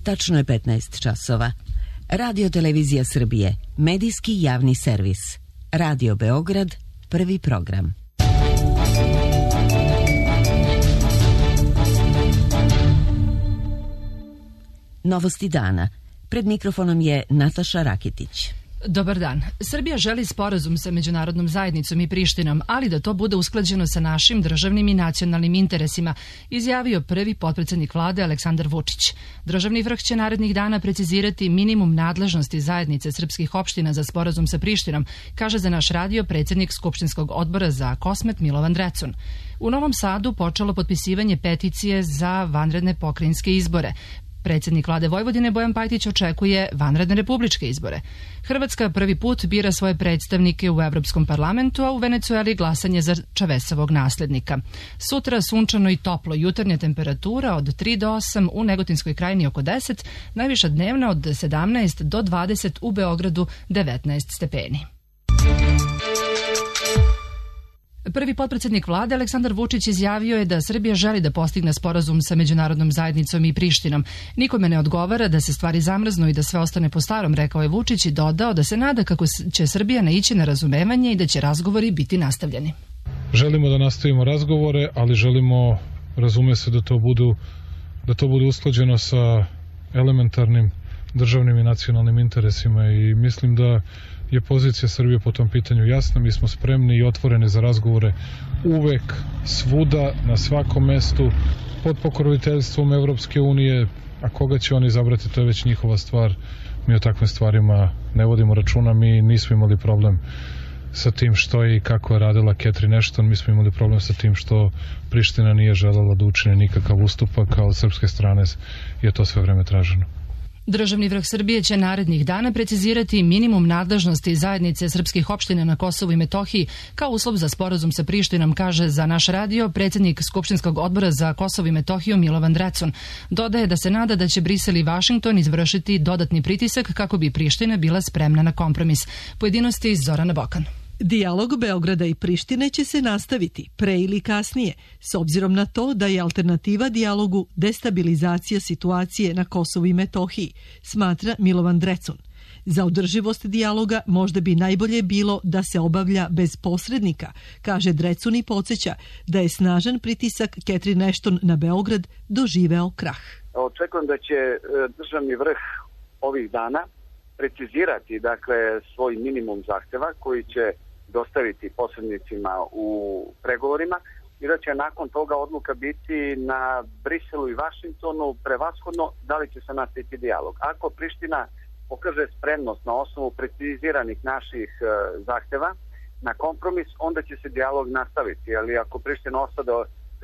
Tačno je 15 časova. Radio Televizija Srbije, medijski javni servis. Radio Beograd, prvi program. Novosti dana. Pred mikrofonom je Nataša Rakitić. Dobar dan. Srbija želi sporazum sa međunarodnom zajednicom i Prištinom, ali da to bude usklađeno sa našim državnim i nacionalnim interesima, izjavio prvi potpredsednik vlade Aleksandar Vučić. Državni vrh će narednih dana precizirati minimum nadležnosti zajednice srpskih opština za sporazum sa Prištinom, kaže za naš radio predsednik Skupštinskog odbora za Kosmet Milovan Drecun. U Novom Sadu počelo potpisivanje peticije za vanredne pokrajinske izbore. Predsednik vlade Vojvodine Bojan Pajtić očekuje vanredne republičke izbore. Hrvatska prvi put bira svoje predstavnike u Evropskom parlamentu, a u Venecueli glasanje za Čavesovog naslednika. Sutra sunčano i toplo, jutarnja temperatura od 3 do 8, u Negotinskoj krajini oko 10, najviša dnevna od 17 do 20, u Beogradu 19 stepeni. Prvi potpredsednik vlade Aleksandar Vučić izjavio je da Srbija želi da postigne sporazum sa međunarodnom zajednicom i Prištinom. Nikome ne odgovara da se stvari zamrznu i da sve ostane po starom, rekao je Vučić i dodao da se nada kako će Srbija naići na razumevanje i da će razgovori biti nastavljeni. Želimo da nastavimo razgovore, ali želimo, razume se, da to bude usklađeno sa elementarnim državnim i nacionalnim interesima i mislim da je pozicija Srbije po tom pitanju jasna. Mi smo spremni i otvoreni za razgovore uvek, svuda, na svakom mestu, pod pokroviteljstvom Evropske unije, a koga će oni izabrati, to je već njihova stvar. Mi o takvim stvarima ne vodimo računa, mi nismo imali problem sa tim što je i kako je radila Catherine Ashton, mi smo imali problem sa tim što Priština nije želela da učine nikakav ustupak, a od srpske strane je to sve vreme traženo. Državni vrh Srbije će narednih dana precizirati minimum nadležnosti zajednice srpskih opština na Kosovu i Metohiji kao uslov za sporazum sa Prištinom, kaže za naš radio predsednik Skupštinskog odbora za Kosovo i Metohiju Milovan Drecun. Dodaje da se nada da će Brisel i Vašington izvršiti dodatni pritisak kako bi Priština bila spremna na kompromis. Pojedinosti Zorana Bokan. Dijalog Beograda i Prištine će se nastaviti, pre ili kasnije, s obzirom na to da je alternativa dijalogu destabilizacija situacije na Kosovu i Metohiji, smatra Milovan Drecun. Za održivost dijaloga možda bi najbolje bilo da se obavlja bez posrednika, kaže Drecun i podsjeća da je snažan pritisak Catherine Ashton na Beograd doživeo krah. Očekujem da će državni vrh ovih dana precizirati svoj minimum zahteva koji će dostaviti posrednicima u pregovorima i da će nakon toga odluka biti na Briselu i Vašingtonu prevashodno da li će se nastaviti dijalog. Ako Priština pokaže spremnost na osnovu preciziranih naših zahteva na kompromis, onda će se dijalog nastaviti, ali ako Priština ostada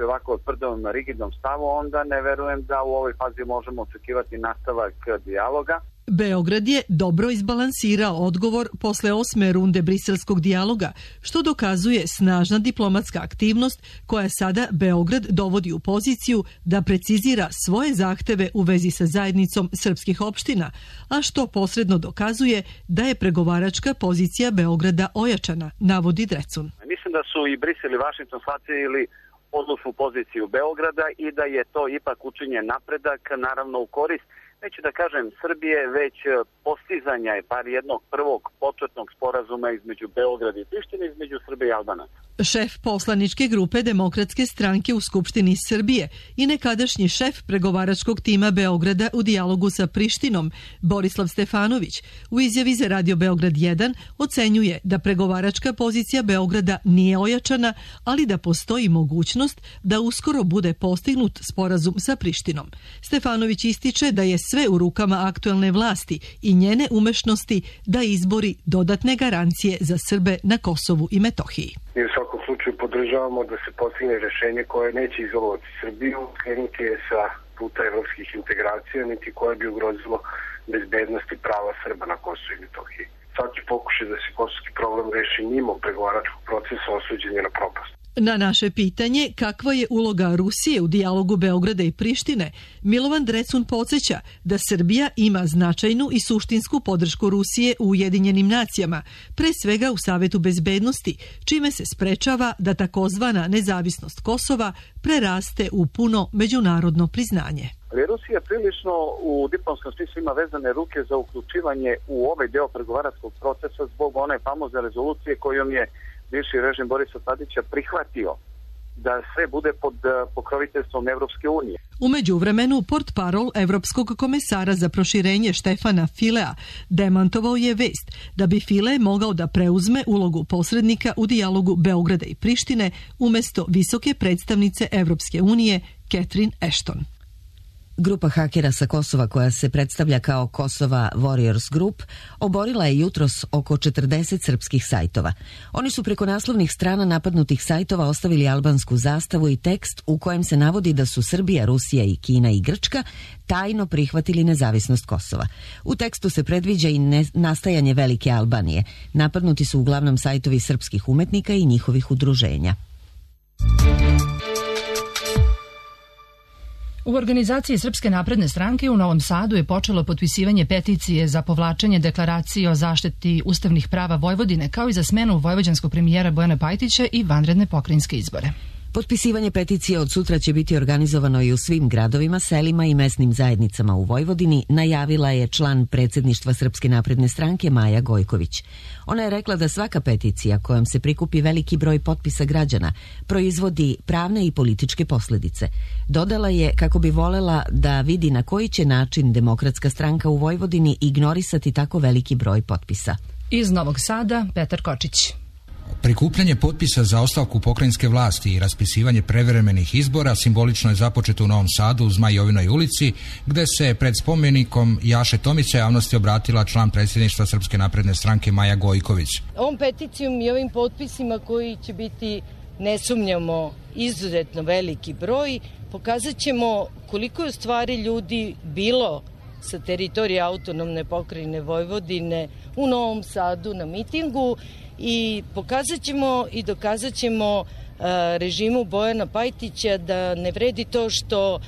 ovako tvrdom rigidnom stavu, onda ne verujem da u ovoj fazi možemo očekivati nastavak dijaloga. Beograd je dobro izbalansirao odgovor posle 8. runde briselskog dijaloga, što dokazuje snažna diplomatska aktivnost koja sada Beograd dovodi u poziciju da precizira svoje zahteve u vezi sa zajednicom srpskih opština, a što posredno dokazuje da je pregovaračka pozicija Beograda ojačana, navodi Drecun. Mislim da su i Brisel i Vašington shvatili odlučnu poziciju Beograda i da je to ipak učinjen napredak, naravno u korist, neću da kažem Srbije, već postizanja je par jednog prvog početnog sporazuma između Beograda i Prištine, između Srbije i Albanaca. Šef poslaničke grupe Demokratske stranke u Skupštini Srbije i nekadašnji šef pregovaračkog tima Beograda u dijalogu sa Prištinom, Borislav Stefanović, u izjavi za Radio Beograd 1 ocenjuje da pregovaračka pozicija Beograda nije ojačana, ali da postoji mogućnost da uskoro bude postignut sporazum sa Prištinom. Stefanović ističe da je sve u rukama aktuelne vlasti i njene umešnosti da izbori dodatne garancije za Srbe na Kosovu i Metohiji. Mi u svakom slučaju podržavamo da se postigne rešenje koje neće izolovati Srbiju, krenuti je sa puta evropskih integracija, niti koje bi ugrozilo bezbednost i prava Srba na Kosovu i Metohiji. Svaki pokušaj da se kosovski problem reši mimo pregovaračkog procesa osuđen je na propast. Na naše pitanje kakva je uloga Rusije u dijalogu Beograda i Prištine, Milovan Drecun podsjeća da Srbija ima značajnu i suštinsku podršku Rusije u Ujedinjenim nacijama, pre svega u Savetu bezbednosti, čime se sprečava da takozvana nezavisnost Kosova preraste u puno međunarodno priznanje. Ali Rusija prilično u diplomskom smislu ima vezane ruke za uključivanje u ovaj deo pregovaračkog procesa zbog one famozne rezolucije kojom je bivši režim Borisa Tadića prihvatio da sve bude pod pokroviteljstvom Evropske unije. U međuvremenu, portparol Evropskog komesara za proširenje Štefana Filea demantovao je vest da bi File mogao da preuzme ulogu posrednika u dijalogu Beograda i Prištine umesto visoke predstavnice Evropske unije Catherine Ashton. Grupa hakera sa Kosova koja se predstavlja kao Kosova Warriors Group oborila je jutros oko 40 srpskih sajtova. Oni su preko naslovnih strana napadnutih sajtova ostavili albansku zastavu i tekst u kojem se navodi da su Srbija, Rusija i Kina i Grčka tajno prihvatili nezavisnost Kosova. U tekstu se predviđa i nastajanje velike Albanije. Napadnuti su uglavnom sajtovi srpskih umetnika i njihovih udruženja. U organizaciji Srpske napredne stranke u Novom Sadu je počelo potpisivanje peticije za povlačenje deklaracije o zaštiti ustavnih prava Vojvodine, kao i za smenu vojvođanskog premijera Bojana Pajtića i vanredne pokrajinske izbore. Potpisivanje peticije od sutra će biti organizovano i u svim gradovima, selima i mesnim zajednicama u Vojvodini, najavila je član predsjedništva Srpske napredne stranke Maja Gojković. Ona je rekla da svaka peticija kojom se prikupi veliki broj potpisa građana proizvodi pravne i političke posljedice. Dodala je kako bi volela da vidi na koji će način Demokratska stranka u Vojvodini ignorisati tako veliki broj potpisa. Iz Novog Sada, Petar Kočić. Prikupljanje potpisa za ostavku pokrajinske vlasti i raspisivanje prevremenih izbora simbolično je započeto u Novom Sadu u Zmajovinoj ulici, gde se pred spomenikom Jaše Tomića javnosti obratila član predsjedništva Srpske napredne stranke Maja Gojković. Ovom peticijom i ovim potpisima koji će biti, ne sumnjamo, izuzetno veliki broj, pokazat ćemo koliko je u stvari ljudi bilo sa teritorije autonomne pokrajine Vojvodine u Novom Sadu na mitingu i pokazat ćemo i dokazat ćemo režimu Bojana Pajtića da ne vredi to što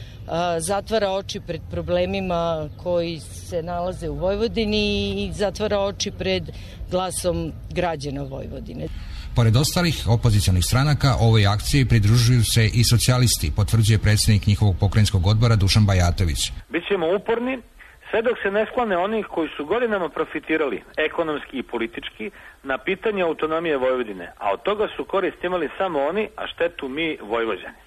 zatvara oči pred problemima koji se nalaze u Vojvodini i zatvara oči pred glasom građana Vojvodine. Pored ostalih opozicionih stranaka, ovoj akciji pridružuju se i socijalisti, potvrđuje predsjednik njihovog pokrajinskog odbora Dušan Bajatović. Bićemo uporni sve dok se ne sklone onih koji su godinama profitirali ekonomski i politički na pitanje autonomije Vojvodine, a od toga su korist imali samo oni, a štetu mi Vojvođani.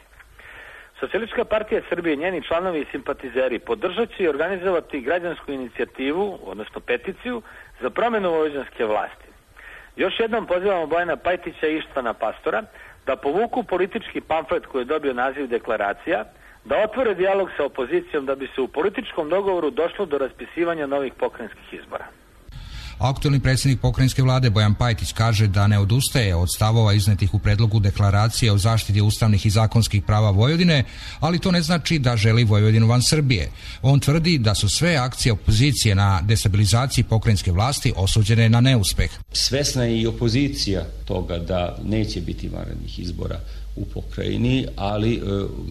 Socijalistička partija Srbije, njeni članovi i simpatizeri podržat će i organizovati građansku inicijativu, odnosno peticiju, za promjenu vojvođanske vlasti. Još jednom pozivamo Bojana Pajtića i Ištvana Pastora da povuku politički pamflet koji je dobio naziv deklaracija, da otvore dijalog sa opozicijom da bi se u političkom dogovoru došlo do raspisivanja novih pokrajinskih izbora. Aktualni predsjednik pokrajinske vlade Bojan Pajtić kaže da ne odustaje od stavova iznetih u predlogu deklaracije o zaštiti ustavnih i zakonskih prava Vojvodine, ali to ne znači da želi Vojvodinu van Srbije. On tvrdi da su sve akcije opozicije na destabilizaciji pokrajinske vlasti osuđene na neuspeh. Svesna je i opozicija toga da neće biti vanrednih izbora u pokrajini, ali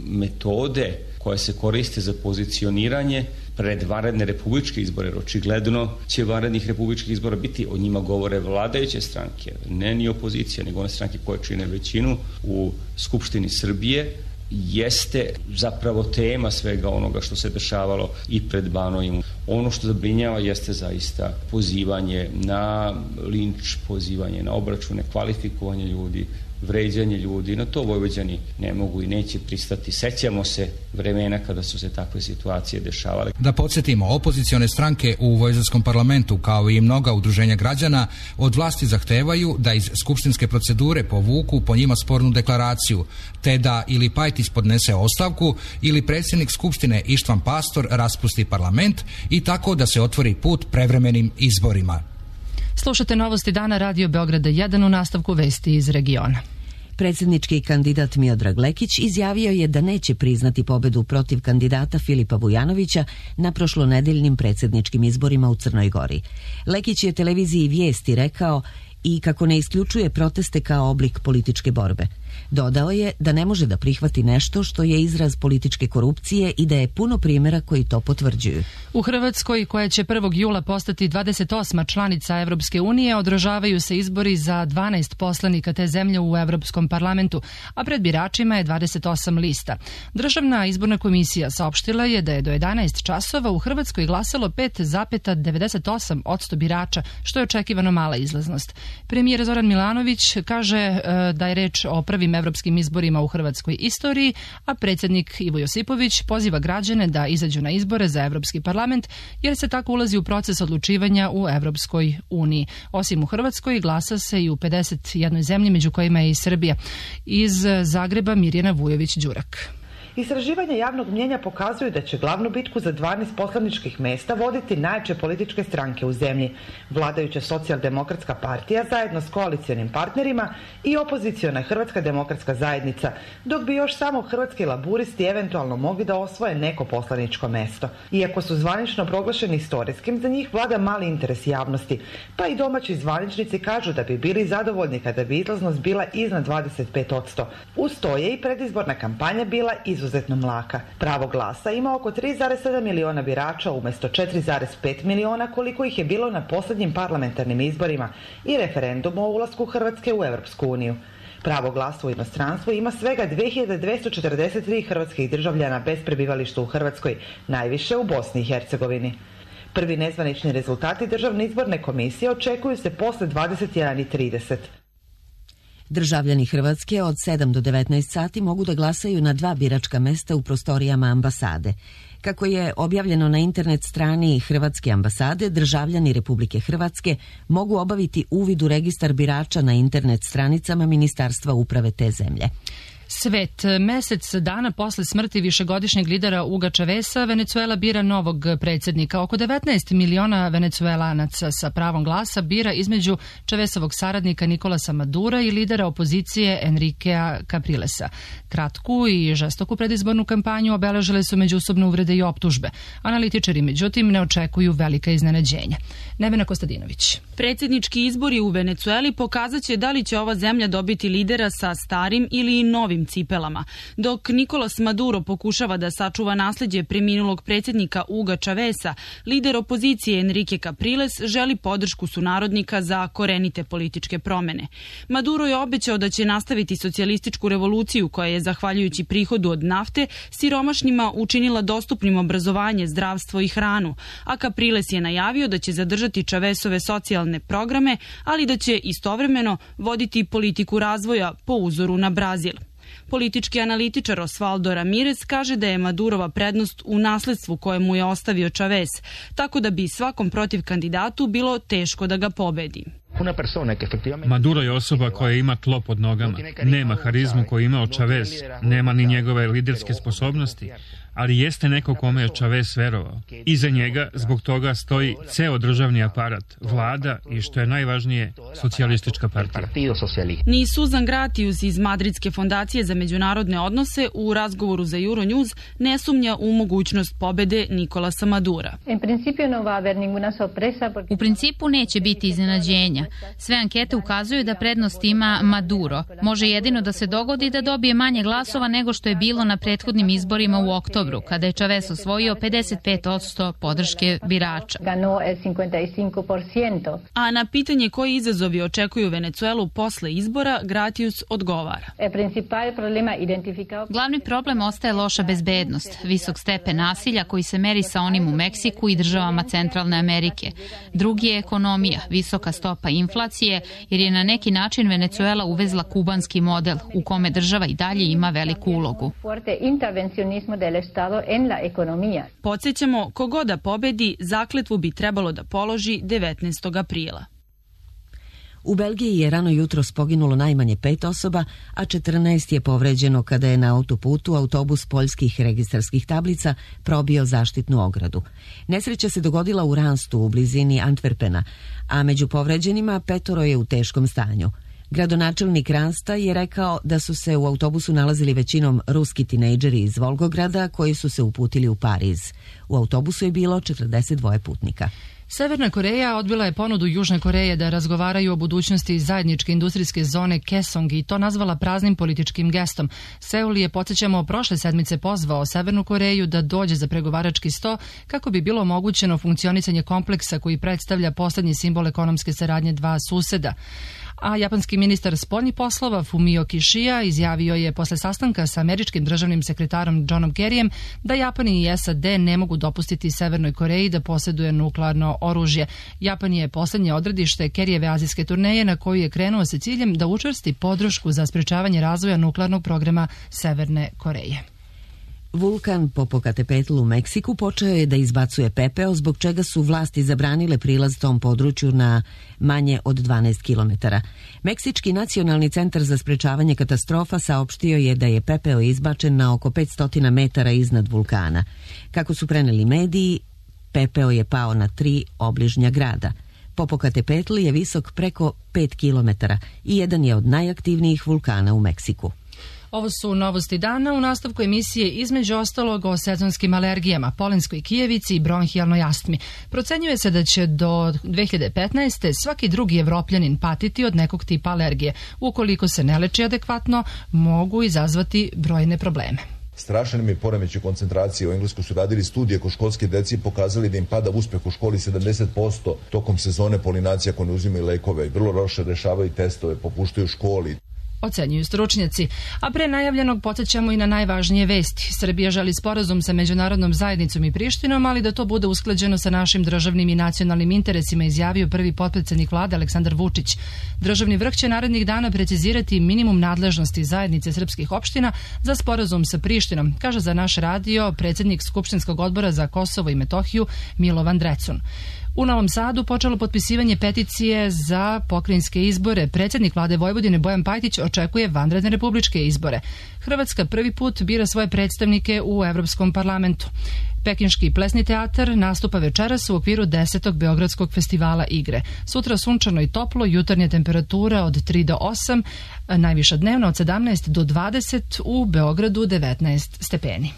metode koje se koriste za pozicioniranje pred vanredne republičke izbore, jer očigledno će vanrednih republičkih izbora biti, o njima govore vladajuće stranke, ne ni opozicija, nego one stranke koje čine većinu u Skupštini Srbije, jeste zapravo tema svega onoga što se dešavalo i pred Banovim. Ono što zabrinjava jeste zaista pozivanje na linč, pozivanje na obračune, kvalifikovanje ljudi, vređanje ljudi. Na to Vojvođani ne mogu i neće pristati. Sećamo se vremena kada su se takve situacije dešavale. Da podsjetimo, opozicione stranke u vojvođanskom parlamentu, kao i mnoga udruženja građana, od vlasti zahtevaju da iz skupštinske procedure povuku po njima spornu deklaraciju, te da ili Pajtić podnese ostavku ili predsjednik skupštine Ištvan Pastor raspusti parlament i tako da se otvori put prevremenim izborima. Slušate novosti dana Radio Beograda 1 u nastavku vesti iz regiona. Predsjednički kandidat Miodrag Lekić izjavio je da neće priznati pobedu protiv kandidata Filipa Vujanovića na prošlonedeljnim predsjedničkim izborima u Crnoj Gori. Lekić je televiziji Vijesti rekao i kako ne isključuje proteste kao oblik političke borbe. Dodao je da ne može da prihvati nešto što je izraz političke korupcije i da je puno primjera koji to potvrđuju. U Hrvatskoj, koja će 1. jula postati 28. članica Evropske unije, održavaju se izbori za 12 poslanika te zemlje u Evropskom parlamentu, a pred biračima je 28 lista. Državna izborna komisija saopštila je da je do 11 časova u Hrvatskoj glasalo 5,98% birača, što je očekivano mala izlaznost. Premijer Zoran Milanović kaže da je reč o prvim evropskim izborima u hrvatskoj istoriji, a predsjednik Ivo Josipović poziva građane da izađu na izbore za Evropski parlament, jer se tako ulazi u proces odlučivanja u Evropskoj uniji. Osim u Hrvatskoj, glasa se i u 51 zemlji, među kojima je i Srbija. Iz Zagreba Mirjana Vujović-Đurak. Istraživanja javnog mnjenja pokazuju da će glavnu bitku za 12 poslaničkih mjesta voditi najjače političke stranke u zemlji, vladajuća Socijaldemokratska partija zajedno s koalicionim partnerima i opoziciona Hrvatska demokratska zajednica, dok bi još samo Hrvatski laburisti eventualno mogli da osvoje neko poslaničko mjesto. Iako su zvanično proglašeni istorijskim, za njih vlada mali interes javnosti, pa i domaći zvaničnici kažu da bi bili zadovoljni kada bi izlaznost bila iznad 25%. Uz to je i predizborna kampanja bila izuzetno mlaka. Pravo glasa ima oko 3,7 miliona birača umjesto 4,5 miliona koliko ih je bilo na posljednjim parlamentarnim izborima i referendumu o ulasku Hrvatske u Europsku uniju. Pravo glasa u inostranstvu ima svega 2243 hrvatskih državljana bez prebivališta u Hrvatskoj, najviše u Bosni i Hercegovini. Prvi nezvanični rezultati Državne izborne komisije očekuju se posle 21:30. Državljani Hrvatske od 7 do 19 sati mogu da glasaju na 2 biračka mesta u prostorijama ambasade. Kako je objavljeno na internet strani Hrvatske ambasade, državljani Republike Hrvatske mogu obaviti uvid u registar birača na internet stranicama Ministarstva uprave te zemlje. Svet. Mesec dana posle smrti višegodišnjeg lidera Huga Chaveza, Venezuela bira novog predsjednika. Oko 19 miliona venecuelanaca sa pravom glasa bira između Chavezovog saradnika Nicolasa Madura i lidera opozicije Enriquea Caprilesa. Kratku i žestoku predizbornu kampanju obeležile su međusobne uvrede i optužbe. Analitičari, međutim, ne očekuju velika iznenađenja. Nevena Kostadinović. Predsjednički izbori u Venecueli pokazat će da li će ova zemlja dobiti lidera sa starim ili novim cipelama. Dok Nicolas Maduro pokušava da sačuva nasljeđe preminulog predsjednika Huga Chaveza, lider opozicije Enrique Capriles želi podršku sunarodnika za korenite političke promjene. Maduro je obećao da će nastaviti socijalističku revoluciju koja je, zahvaljujući prihodu od nafte, siromašnima učinila dostupnim obrazovanje, zdravstvo i hranu, a Capriles je najavio da će zadržati Chavezove socijalne programe, ali da će istovremeno voditi politiku razvoja po uzoru na Brazil. Politički analitičar Osvaldo Ramirez kaže da je Madurova prednost u nasledstvu koje mu je ostavio Chavez, tako da bi svakom protiv kandidatu bilo teško da ga pobedi. Maduro je osoba koja ima tlo pod nogama, nema harizmu koju je imao Chavez, nema ni njegove liderske sposobnosti, ali jeste neko kome je Chavez verovao. Iza njega zbog toga stoji ceo državni aparat, vlada i, što je najvažnije, socijalistička partija. Ni Suzan Gratius iz Madridske fondacije za međunarodne odnose u razgovoru za Euronews ne sumnja u mogućnost pobede Nicolasa Madura. U principu neće biti iznenađenja. Sve ankete ukazuju da prednost ima Maduro. Može jedino da se dogodi da dobije manje glasova nego što je bilo na prethodnim izborima u oktobru, kada je Chavez osvojio 55% podrške birača. A na pitanje koji izazovi očekuju Venecuelu posle izbora, Gratius odgovara. Glavni problem ostaje loša bezbednost, visok stepen nasilja koji se meri sa onim u Meksiku i državama Centralne Amerike. Drugi je ekonomija, visoka stopa inflacije, jer je na neki način Venecuela uvezla kubanski model u kome država i dalje ima veliku ulogu. Podsjećamo, kogoda pobedi, zakletvu bi trebalo da položi 19. aprila. U Belgiji je rano jutros poginulo najmanje 5 osoba, a 14 je povređeno kada je na autoputu autobus poljskih registarskih tablica probio zaštitnu ogradu. Nesreća se dogodila u Ranstu u blizini Antwerpena, a među povređenima 5 je u teškom stanju. Gradonačelnik Ransta je rekao da su se u autobusu nalazili većinom ruski tinejdžeri iz Volgograda koji su se uputili u Pariz. U autobusu je bilo 42 putnika. Severna Koreja odbila je ponudu Južne Koreje da razgovaraju o budućnosti zajedničke industrijske zone Kaesong i to nazvala praznim političkim gestom. Seul je, podsjećamo, prošle sedmice pozvao Severnu Koreju da dođe za pregovarački sto kako bi bilo omogućeno funkcionisanje kompleksa koji predstavlja poslednji simbol ekonomske saradnje dva suseda. A japanski ministar spoljnih poslova Fumio Kishida izjavio je posle sastanka sa američkim državnim sekretarom Johnom Kerryjem da Japan i SAD ne mogu dopustiti Severnoj Koreji da posjeduje nuklearno oružje. Japan je poslednje odredište Kerryjeve azijske turneje na koju je krenuo sa ciljem da učvrsti podršku za sprečavanje razvoja nuklearnog programa Severne Koreje. Vulkan Popocatépetl u Meksiku počeo je da izbacuje pepeo, zbog čega su vlasti zabranile prilaz tom području na manje od 12 km. Meksički nacionalni centar za sprečavanje katastrofa saopštio je da je pepeo izbačen na oko 500 metara iznad vulkana. Kako su preneli mediji, pepeo je pao na 3 obližnja grada. Popocatépetl je visok preko 5 km i jedan je od najaktivnijih vulkana u Meksiku. Ovo su novosti dana u nastavku emisije između ostalog o sezonskim alergijama, polenskoj kijevici i bronhijalnoj astmi. Procenjuje se da će do 2015. svaki drugi Evropljanin patiti od nekog tipa alergije. Ukoliko se ne leči adekvatno, mogu izazvati brojne probleme. Strašan mi je poremećaj koncentracije. U Engleskoj su radili studije kod školske deci i pokazali da im pada uspeh u školi 70% tokom sezone polinacije ako ne uzimaju lekove. Vrlo loše rešavaju testove, popuštaju u školi. Ocenjuju stručnjaci. A pre najavljenog podsjećamo i na najvažnije vesti. Srbija želi sporazum sa međunarodnom zajednicom i Prištinom, ali da to bude usklađeno sa našim državnim i nacionalnim interesima, izjavio prvi potpredsednik vlade Aleksandar Vučić. Državni vrh će narednih dana precizirati minimum nadležnosti zajednice srpskih opština za sporazum sa Prištinom, kaže za naš radio predsednik Skupštinskog odbora za Kosovo i Metohiju Milovan Drecun. U Novom Sadu počelo potpisivanje peticije za pokrajinske izbore. Predsednik vlade Vojvodine Bojan Pajtić očekuje vanredne republičke izbore. Hrvatska prvi put bira svoje predstavnike u Evropskom parlamentu. Pekinški plesni teatar nastupa večeras u okviru 10. Beogradskog festivala igre. Sutra sunčano i toplo, jutarnja temperatura od 3 do 8, najviša dnevna od 17 do 20, u Beogradu 19 stepeni.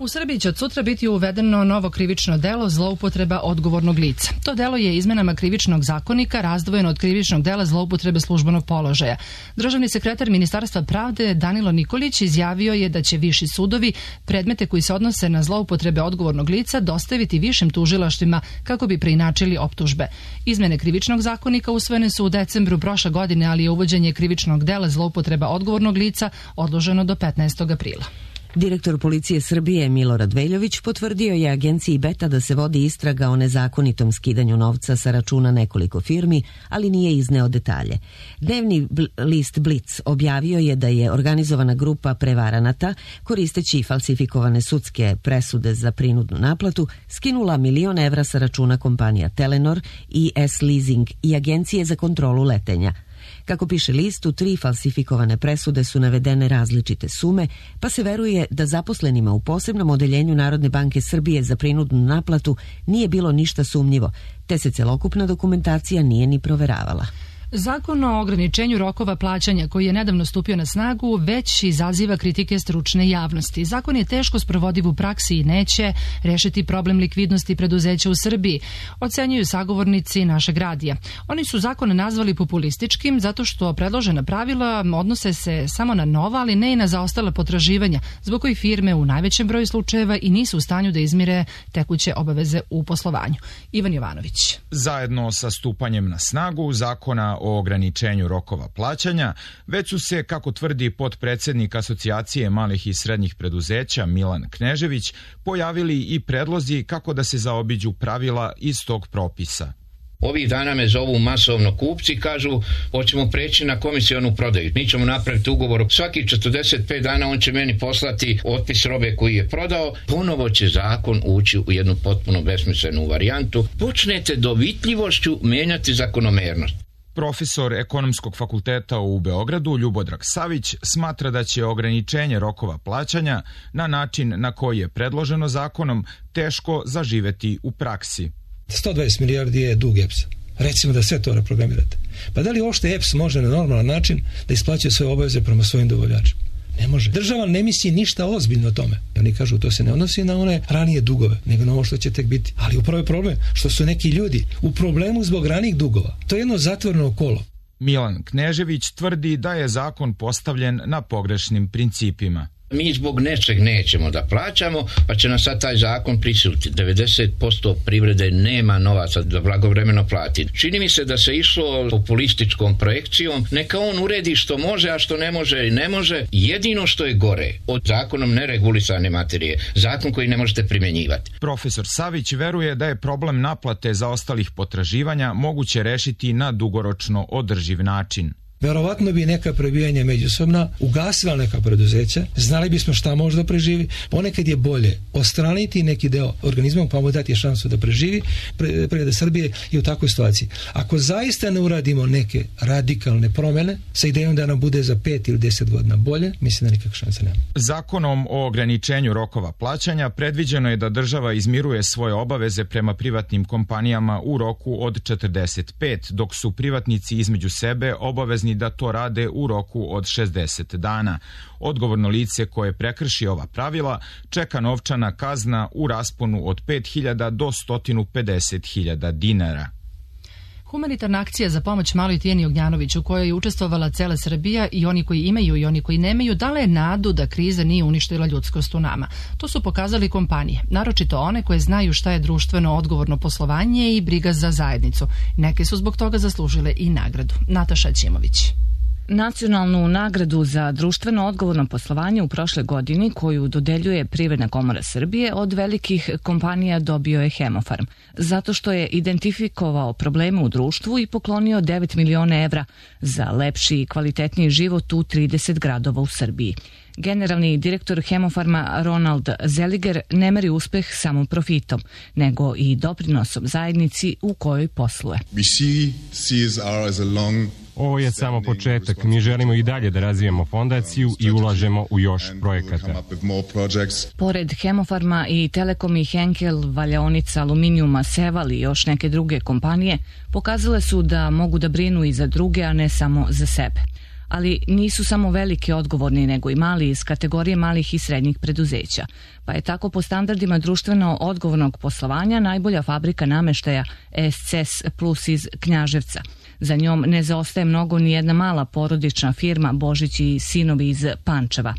U Srbiji će od sutra biti uvedeno novo krivično delo zloupotreba odgovornog lica. To delo je izmenama krivičnog zakonika razdvojeno od krivičnog dela zloupotrebe službenog položaja. Državni sekretar Ministarstva pravde Danilo Nikolić izjavio je da će viši sudovi predmete koji se odnose na zloupotrebe odgovornog lica dostaviti višim tužilaštvima kako bi preinačili optužbe. Izmene krivičnog zakonika usvojene su u decembru prošle godine, ali je uvođenje krivičnog dela zloupotreba odgovornog lica odloženo do 15. aprila. Direktor policije Srbije Milorad Veljović potvrdio je agenciji Beta da se vodi istraga o nezakonitom skidanju novca sa računa nekoliko firmi, ali nije izneo detalje. Dnevni list Blic objavio je da je organizovana grupa prevaranata, koristeći falsifikovane sudske presude za prinudnu naplatu, skinula 1 milion evra sa računa kompanija Telenor i S-Leasing i Agencije za kontrolu letenja. Kako piše list, u 3 falsifikovane presude su navedene različite sume, pa se veruje da zaposlenima u posebnom odeljenju Narodne banke Srbije za prinudnu naplatu nije bilo ništa sumnjivo, te se celokupna dokumentacija nije ni proveravala. Zakon o ograničenju rokova plaćanja koji je nedavno stupio na snagu već izaziva kritike stručne javnosti. Zakon je teško sprovodiv u praksi i neće rešiti problem likvidnosti preduzeća u Srbiji, ocenjuju sagovornici našeg radija. Oni su zakon nazvali populističkim zato što predložena pravila odnose se samo na nova, ali ne i na zaostala potraživanja, zbog kojih firme u najvećem broju slučajeva i nisu u stanju da izmire tekuće obaveze u poslovanju. Ivan Jovanović. Zajedno sa stupanjem na snagu zakona o ograničenju rokova plaćanja, već su se, kako tvrdi potpredsednik Asocijacije malih i srednjih preduzeća Milan Knežević, pojavili i predlozi kako da se zaobiđu pravila iz tog propisa. Ovih dana me zovu masovno kupci, kažu hoćemo preći na komisionu prodaju. Mi ćemo napraviti ugovor, svaki 45 dana on će meni poslati otpis robe koji je prodao. Ponovo će zakon ući u jednu potpuno besmislenu varijantu. Počnete dovitljivošću menjati zakonomernost. Profesor Ekonomskog fakulteta u Beogradu Ljubodrag Savić smatra da će ograničenje rokova plaćanja na način na koji je predloženo zakonom teško zaživeti u praksi. 120 milijardi je dug EPS-a. Recimo da sve to reprogramirate. Pa da li uopšte EPS može na normalan način da isplaćuje svoje obaveze prema svojim dobavljačima? Ne može. Država ne misli ništa ozbiljno o tome. I oni kažu to se ne odnosi na one ranije dugove, nego na ovo što će tek biti. Ali upravo je problem što su neki ljudi u problemu zbog ranijih dugova. To je jedno zatvoreno kolo. Milan Knežević tvrdi da je zakon postavljen na pogrešnim principima. Mi zbog nečeg nećemo da plaćamo, pa će nas sad taj zakon prisiliti. 90% privrede nema novaca da blagovremeno plati. Čini mi se da se išlo populističkom projekcijom, neka on uredi što može, a što ne može i ne može. Jedino što je gore od zakonom neregulisane materije, zakon koji ne možete primjenjivati. Profesor Savić veruje da je problem naplate zaostalih potraživanja moguće rešiti na dugoročno održiv način. Verovatno bi neka prebijanja međusobna ugasila neka preduzeća, znali bismo šta može da preživi. Ponekad je bolje ostraniti neki deo organizma pa mu dati šansu da preživi. Privreda Srbije je u takvoj situaciji. Ako zaista ne uradimo neke radikalne promene sa idejom da nam bude za 5 ili 10 godina bolje, mislim da nikakve šanse nema. Zakonom o ograničenju rokova plaćanja predviđeno je da država izmiruje svoje obaveze prema privatnim kompanijama u roku od 45, dok su privatnici između sebe obavezni da to rade u roku od 60 dana. Odgovorno lice koje prekrši ova pravila čeka novčana kazna u rasponu od 5.000 do 150.000 dinara. Humanitarna akcija za pomoć maloj Tijani Ognjanović u kojoj je učestvovala cela Srbija i oni koji imaju i oni koji nemaju dala je nadu da kriza nije uništila ljudskost u nama. To su pokazali kompanije, naročito one koje znaju šta je društveno odgovorno poslovanje i briga za zajednicu. Neke su zbog toga zaslužile i nagradu. Nataša Ćimović. Nacionalnu nagradu za društveno odgovorno poslovanje u prošle godini, koju dodeljuje Privredna komora Srbije, od velikih kompanija dobio je Hemofarm, zato što je identifikovao probleme u društvu i poklonio 9 miliona evra za lepši i kvalitetniji život u 30 gradova u Srbiji. Generalni direktor Hemofarma Ronald Zeliger ne meri uspeh samo profitom, nego i doprinosom zajednici u kojoj posluje. Ovo je samo početak. Mi želimo i dalje da razvijemo fondaciju i ulažemo u još projekata. Pored Hemofarma i Telekom i Henkel, valjaonica aluminijuma Seval i još neke druge kompanije pokazale su da mogu da brinu i za druge, a ne samo za sebe. Ali nisu samo veliki odgovorni, nego i mali iz kategorije malih i srednjih preduzeća. Pa je tako po standardima društveno odgovornog poslovanja najbolja fabrika nameštaja SCS Plus iz Knjaževca. Za njom ne zaostaje mnogo ni jedna mala porodična firma Božić i sinovi iz Pančeva.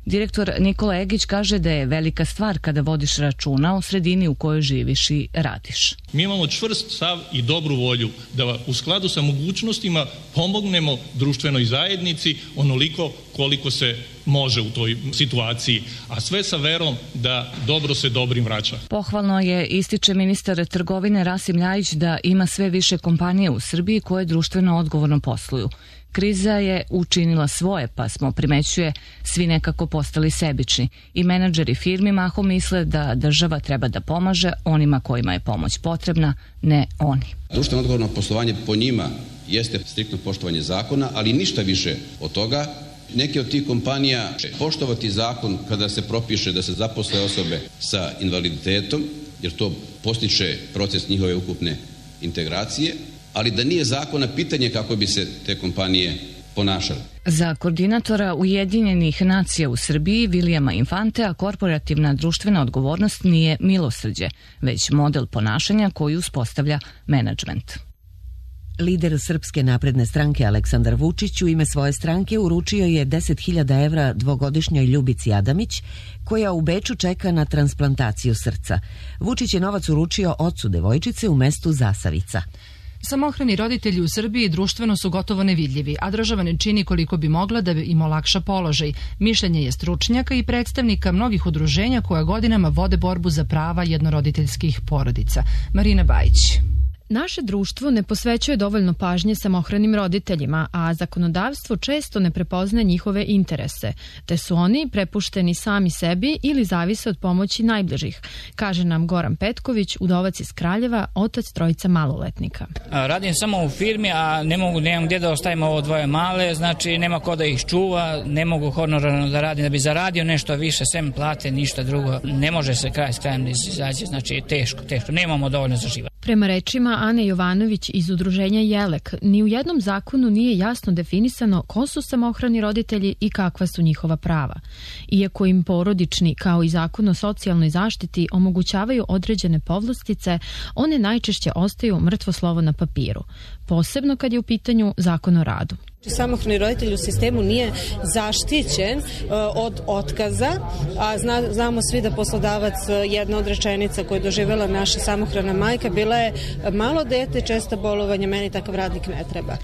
Direktor Nikola Egić kaže da je velika stvar kada vodiš računa o sredini u kojoj živiš i radiš. Mi imamo čvrst stav i dobru volju da u skladu sa mogućnostima pomognemo društvenoj zajednici onoliko koliko se može u toj situaciji, a sve sa verom da dobro se dobrim vraća. Pohvalno je, ističe ministar trgovine Rasim Ljajić, da ima sve više kompanije u Srbiji koje društveno odgovorno posluju. Kriza je učinila svoje, pa smo, primećuje, svi nekako postali sebični. I menadžeri firmi mahom misle da država treba da pomaže onima kojima je pomoć potrebna, ne oni. Društveno odgovorno poslovanje po njima jeste striktno poštovanje zakona, ali ništa više od toga. Neke od tih kompanija će poštovati zakon kada se propiše da se zaposle osobe sa invaliditetom, jer to postiče proces njihove ukupne integracije, ali da nije zakona pitanje kako bi se te kompanije ponašale. Za koordinatora Ujedinjenih nacija u Srbiji Vilijama Infantea korporativna društvena odgovornost nije milosrđe, već model ponašanja koji uspostavlja menadžment. Lider Srpske napredne stranke Aleksandar Vučić u ime svoje stranke uručio je 10.000 evra dvogodišnjoj Ljubici Adamić, koja u Beču čeka na transplantaciju srca. Vučić je novac uručio ocu devojčice u mestu Zasavica. Samohrani roditelji u Srbiji društveno su gotovo nevidljivi, a država ne čini koliko bi mogla da im olakša položaj. Mišljenje je stručnjaka i predstavnika mnogih udruženja koja godinama vode borbu za prava jednoroditeljskih porodica. Marina Bajić. Naše društvo ne posvećuje dovoljno pažnje samohranim roditeljima, a zakonodavstvo često ne prepoznaje njihove interese, te su oni prepušteni sami sebi ili zavise od pomoći najbližih, kaže nam Goran Petković, udovac iz Kraljeva, otac trojica maloletnika. Radim samo u firmi, a nemam gdje da ostavim ovo dvoje male, znači nema ko da ih čuva, ne mogu honorarno da radim, da bi zaradio nešto više, sem plate, ništa drugo. Ne može se kraj s krajem izaći, znači teško, nemamo dovoljno za život. Prema rečima Ane Jovanović iz udruženja Jelek, ni u jednom zakonu nije jasno definisano ko su samohrani roditelji i kakva su njihova prava. Iako im porodični, kao i zakon o socijalnoj zaštiti, omogućavaju određene povlastice, one najčešće ostaju mrtvo slovo na papiru, posebno kad je u pitanju zakon o radu. Samohrani roditelj u sistemu nije zaštićen od otkaza, a znamo svi da poslodavac, jedna od rečenica koju je doživjela naša samohrana majka bila je: malo dete, česta bolovanja, meni takav radnik ne treba.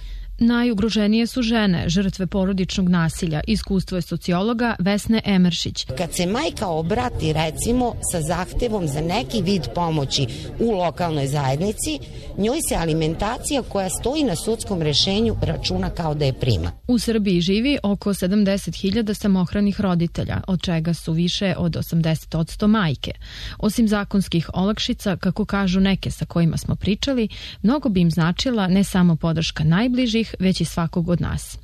Najugroženije su žene, žrtve porodičnog nasilja. Iskustvo je sociologa Vesne Emeršić. Kad se majka obrati, recimo, sa zahtevom za neki vid pomoći u lokalnoj zajednici, njoj se alimentacija koja stoji na sudskom rešenju računa kao da je prima. U Srbiji živi oko 70.000 samohranih roditelja, od čega su više od 80% majke. Osim zakonskih olakšica, kako kažu neke sa kojima smo pričali, mnogo bi im značila ne samo podrška najbližih, već i svakog od nas.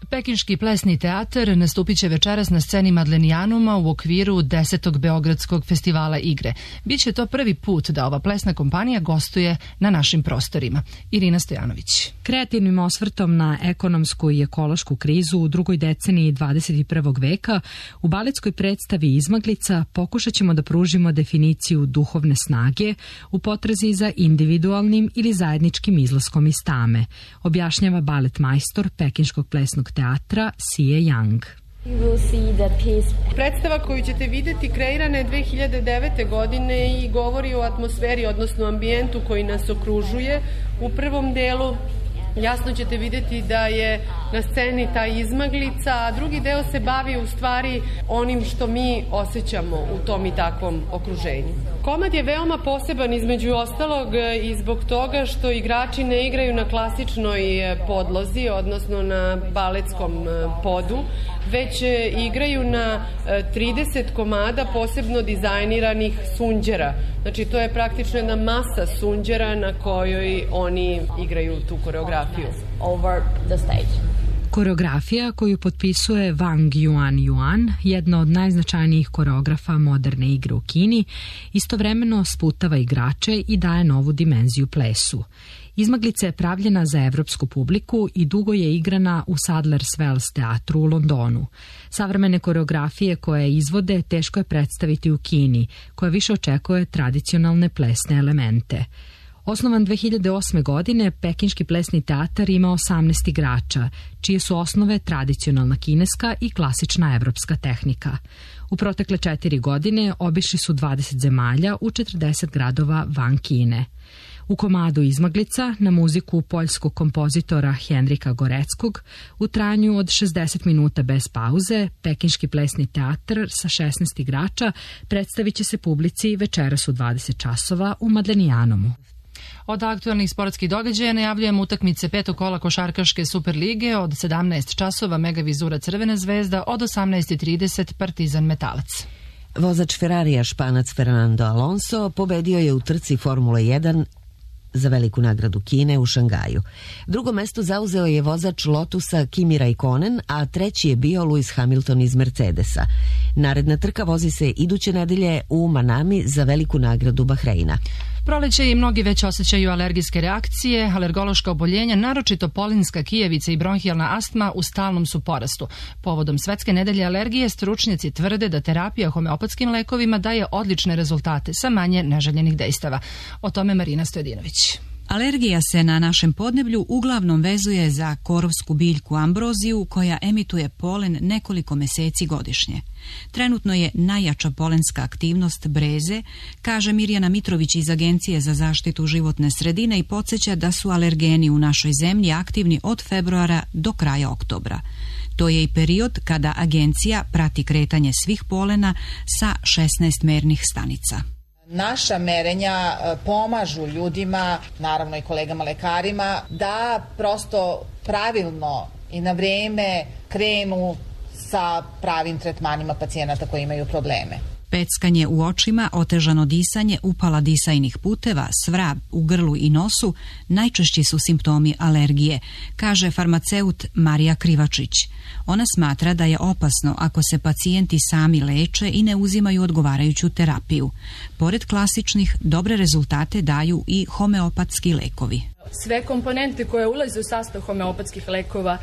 Pekinški plesni teatar nastupit će večeras na sceni Madlenijanuma u okviru 10. Beogradskog festivala igre. Biće to prvi put da ova plesna kompanija gostuje na našim prostorima. Irina Stojanović. Kreativnim osvrtom na ekonomsku i ekološku krizu u drugoj deceniji 21. veka u baletskoj predstavi Izmaglica pokušat ćemo da pružimo definiciju duhovne snage u potrazi za individualnim ili zajedničkim izlaskom iz tame, objašnjava balet majstor Pekinškog plesnog teatra Sie Yang. Predstava koju ćete vidjeti kreirana je 2009. godine i govori o atmosferi, odnosno ambijentu koji nas okružuje. U prvom delu jasno ćete vidjeti da je na sceni ta izmaglica, a drugi deo se bavi u stvari onim što mi osjećamo u tom i takvom okruženju. Komad je veoma poseban između ostalog i zbog toga što igrači ne igraju na klasičnoj podlozi, odnosno na baletskom podu, već igraju na 30 komada posebno dizajniranih sunđera. Znači to je praktično jedna masa sunđera na kojoj oni igraju tu koreografiju. Over the stage. Koreografija koju potpisuje Wang Yuan, jedna od najznačajnijih koreografa moderne igre u Kini, istovremeno sputava igrače i daje novu dimenziju plesu. Izmaglica je pravljena za evropsku publiku i dugo je igrana u Sadler's Wells teatru u Londonu. Savremene koreografije koje izvode teško je predstaviti u Kini, koja više očekuje tradicionalne plesne elemente. Osnovan 2008. godine, Pekinški plesni teatar ima 18 igrača, čije su osnove tradicionalna kineska i klasična evropska tehnika. U protekle 4 godine obišli su 20 zemalja u 40 gradova van Kine. U komadu Izmaglica, na muziku poljskog kompozitora Henrika Goreckog, u trajanju od 60 minuta bez pauze, Pekinški plesni teatar sa 16 igrača predstavit će se publici večeras u 20 časova u Madlenijanomu. Od aktualnih sportskih događaja najavljujemo utakmice petog kola košarkaške Superlige od 17 časova Mega Vizura Crvena zvezda, od 18:30 Partizan Metalac. Vozač Ferrarija Španac Fernando Alonso pobedio je u trci Formule 1 za veliku nagradu Kine u Šangaju. Drugo mesto zauzeo je vozač Lotusa Kimi Raikkonen, a treći je bio Lewis Hamilton iz Mercedesa. Naredna trka vozi se iduće nedelje u Manami za veliku nagradu Bahreina. Proleće i mnogi već osjećaju alergijske reakcije, alergološka oboljenja, naročito polinska kijevica i bronhijalna astma u stalnom su porastu. Povodom Svetske nedelje alergije, stručnjaci tvrde da terapija homeopatskim lekovima daje odlične rezultate sa manje neželjenih dejstava. O tome Marina Stojadinović. Alergija se na našem podneblju uglavnom vezuje za korovsku biljku ambroziju koja emituje polen nekoliko meseci godišnje. Trenutno je najjača polenska aktivnost breze, kaže Mirjana Mitrović iz Agencije za zaštitu životne sredine i podsjeća da su alergeni u našoj zemlji aktivni od februara do kraja oktobra. To je i period kada agencija prati kretanje svih polena sa 16 mernih stanica. Naša merenja pomažu ljudima, naravno i kolegama lekarima, da prosto pravilno i na vreme krenu sa pravim tretmanima pacijenata koji imaju probleme. Peckanje u očima, otežano disanje, upala disajnih puteva, svrab u grlu i nosu najčešći su simptomi alergije, kaže farmaceut Marija Krivačić. Ona smatra da je opasno ako se pacijenti sami leče i ne uzimaju odgovarajuću terapiju. Pored klasičnih, dobre rezultate daju i homeopatski lekovi. Sve komponente koje ulaze u sastav homeopatskih lekova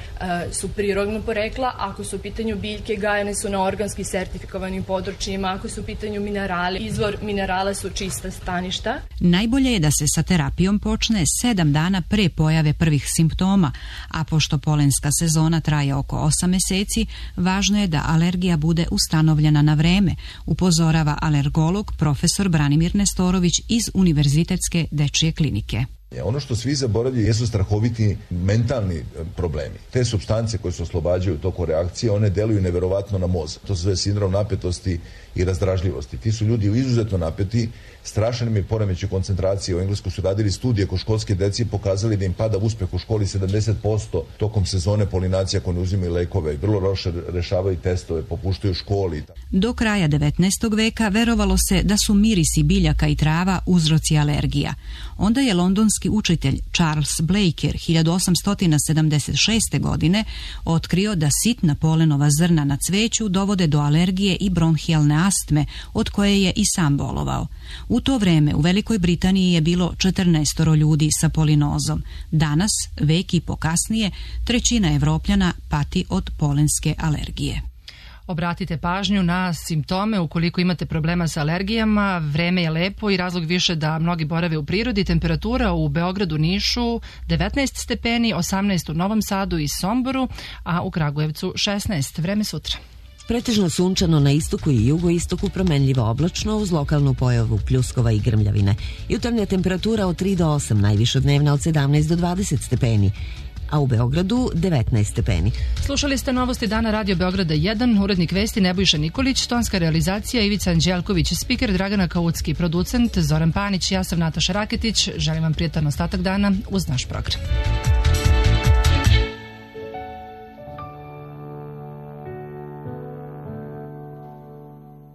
su prirodnog porekla. Ako su u pitanju biljke, gajene su na organski sertifikovanim područjima. Ako su u pitanju minerali, izvor minerala su čista staništa. Najbolje je da se sa terapijom počne 7 dana pre pojave prvih simptoma, a pošto polenska sezona traje oko 8 meseci, važno je da alergija bude ustanovljena na vreme, upozorava alergolog profesor Branimir Nestorović iz Univerzitetske dečije klinike. Ono što svi zaboravljaju jesu strahoviti mentalni problemi. Te supstance koje se oslobađaju tokom reakcije, one deluju neverovatno na mozak. To se zove sindrom napetosti i razdražljivosti. Ti su ljudi izuzetno napeti, strašan im je poremećaj koncentracije. U Engleskoj su radili studije kod školske dece i pokazali da im pada uspeh u školi 70% tokom sezone polinacija ako ne uzimaju lekove. Vrlo loše rešavaju testove, popuštaju u školi. Do kraja 19. veka verovalo se da su mirisi biljaka i trava uzroci alergija. Onda je londonski učitelj Charles Blaker 1876. godine otkrio da sitna polenova zrna na cveću dovode do alergije i bronhijalne astme, od koje je i sam bolovao. U to vreme u Velikoj Britaniji je bilo 14 ljudi sa polinozom. Danas, vek i po kasnije, 1/3 Evropljana pati od polenske alergije. Obratite pažnju na simptome ukoliko imate problema sa alergijama. Vreme je lepo i razlog više da mnogi borave u prirodi. Temperatura u Beogradu, Nišu 19 stepeni, 18 u Novom Sadu i Somboru, a u Kragujevcu 16. Vreme sutra. Pretežno sunčano na istoku i jugoistoku, promenljivo oblačno uz lokalnu pojavu pljuskova i grmljavine. Jutarnja temperatura od 3 do 8, najviša dnevna od 17 do 20 stepeni. A u Beogradu 19 stepeni. Slušali ste novosti dana Radio Beograda 1, urednik vesti Nebojša Nikolić, tonska realizacija Ivica Anđelković, spiker Dragana Kaucki, producent Zoran Panić, ja sam Nataša Raketić. Želim vam prijatan ostatak dana uz naš program.